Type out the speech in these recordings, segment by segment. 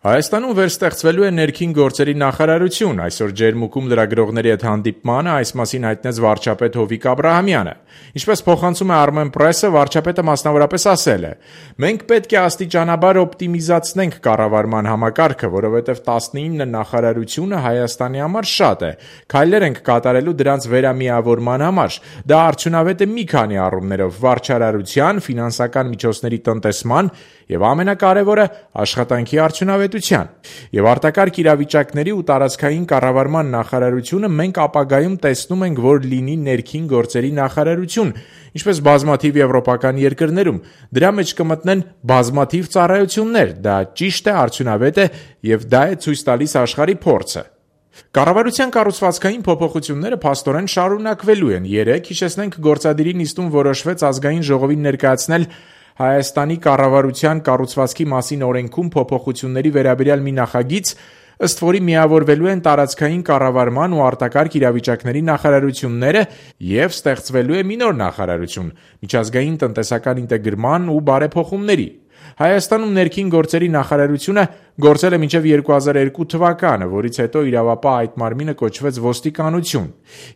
Հայաստանում վերստեղծվելու է ներքին գործերի նախարարություն, այսօր ջերմուկում լրագրողների հետ հանդիպմանը այս մասին հայտնեց վարչապետ Հովիկ Աբրահամյանը։ Ինչպես փոխանցում է Armenpress-ը, վարչապետը մասնավորապես ասել է. «Մենք պետք է աստիճանաբար օպտիմիզացնենք կառավարման համակարգը, որովհետև 19 նախարարությունը Հայաստանի համար շատ է։ Քայլեր ենք կատարելու դրանց վերամիավորման համար։ Դա արդյունավետ է մի քանի առումներով՝ վարչարարության, ֆինանսական միջոցների տնտեսման եւ ամենակարևորը աշխատանքի արդյունավետության։ Եվ արտակարգ իրավիճակների ու տարածքային կառավարման նախարարությունը մենք ապագայում տեսնում ենք, որ լինի ներքին գործերի նախարարություն, ինչպես բազմաթիվ եվրոպական երկրներում։ Դրա մեջ կմտնեն բազմաթիվ ծառայություններ։ Դա ճիշտ է, արդյունավետ է եւ դա է ցույց տալիս աշխարհի փորձը»։ Կառավարության կառուցվածքային փոփոխությունները փաստորեն շարունակվելու են։ Երեկ, հիշեցնենք, գործադիրի նիստում որոշվեց ազգային ժողովին ներկայացնել Հայաստանի կառավարության կառուցվածքի մասին օրենքում փոփոխությունների վերաբերյալ մի նախագիծ, ըստ որի միավորվելու են տարածքային կառավարման ու արտակարգ իրավիճակների նախարարությունները եւ ստեղծվելու է մի նոր նախարարություն՝ միջազգային տնտեսական ինտեգրման ու բարեփոխումների։ Հայաստանում ներքին գործերի նախարարությունը գործել է մինչև 2002 թվականը, որից հետո իրավապահ այդ մարմինը կոչվեց ոստիկանություն։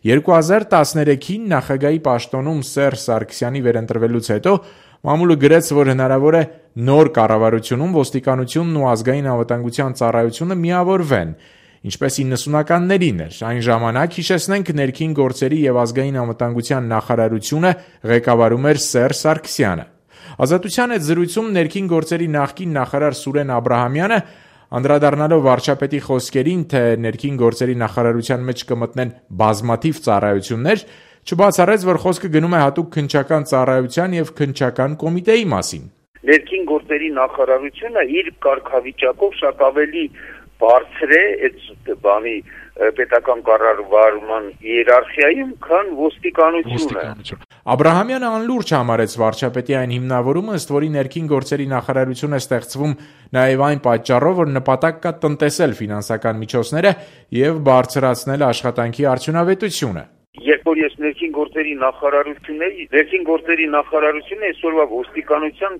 2013-ին նախագահի պաշտոնում Սերժ Սարգսյանի վերընտրվելուց հետո մամուլը գրեց, որ հնարավոր է նոր կառավարությունում ոստիկանությունն ու ազգային անվտանգության ծառայությունը միավորվեն, ինչպես 90-ականներին էր։ Այն ժամանակ, հիշեցնենք, ներքին գործերի եւ ազգային անվտանգության նախարարությունը ղեկավարում էր Սերժ Սարգսյանը։ Ազատության հետ զրույցում ներքին գործերի նախկին նախարար Սուրեն Աբրահամյանը, անդրադառնալով վարչապետի խոսքերին, թե ներքին գործերի նախարարության մեջ կմտնեն բազմաթիվ ծառայություններ, չբացառեց, որ խոսքը գնում է հատուկ քննչական ծառայության եւ քննչական կոմիտեի մասին։ Ներքին գործերի նախարարությունը իր կարգավիճակով շատ ավելի բարձր է այդ բանի պետական կառավարման իերարխիայում, քան ոստիկանությունը։ Աբրահամյանը անլուրջ համարեց վարչապետի այն հիմնավորումը, ըստ որի ներքին գործերի նախարարություն է ստեղծվում նաև այն պատճառով, որ նպատակ կա տնտեսել ֆինանսական միջոցները եւ բարձրացնել աշխատանքի արդյունավետությունը։ Երբ որ ես ներքին գործերի նախարարությունը այսօրվա ոստիկանության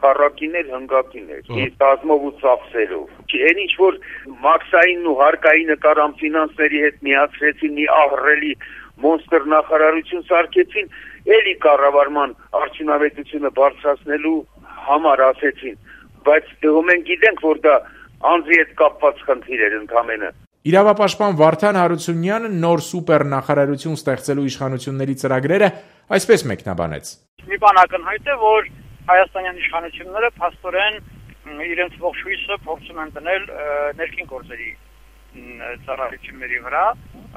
քառակիներ հնգակիներ, իսկ ազգով ու ծախսերով։ Այն ինչ որ մաքսային ու հարկային նկարան ֆինանսների հետ միացրեցին, մի ահռելի մոնստր նախարարություն սարքեցին, էլի կառավարման արդյունավետությունը բարձրացնելու համար ասեցին, բայց մենք գիտենք, որ դա անձի հետ կապված խնդիր էր ընդամենը։ Իրավապաշտպան Վարդան Հարությունյանը նոր սուպեր նախարարություն ստեղծելու իշխանությունների ծրագրերը այսպես մեկնաբանեց. Մի բան ակնհայտ է, որ հայաստանյան իշխանությունները փաստորեն իրենց ողջ հույսը փորձում են դնել ներքին գործերի ծառայությունների վրա,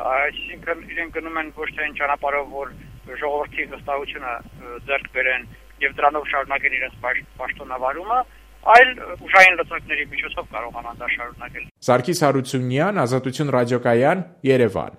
այսինքն իրենք գնում են ոչ թե այն ճանապարհով, որ ժողովրդի վստահությունը ձեռք բերեն եւ դրանով շարունակեն իրենց պաշտոնավարումը, այլ ուժային լծակների միջոցով կարողանան դա շարունակել։ Սարգիս Հարությունյան, Ազատություն ռադիոկայան, Երևան։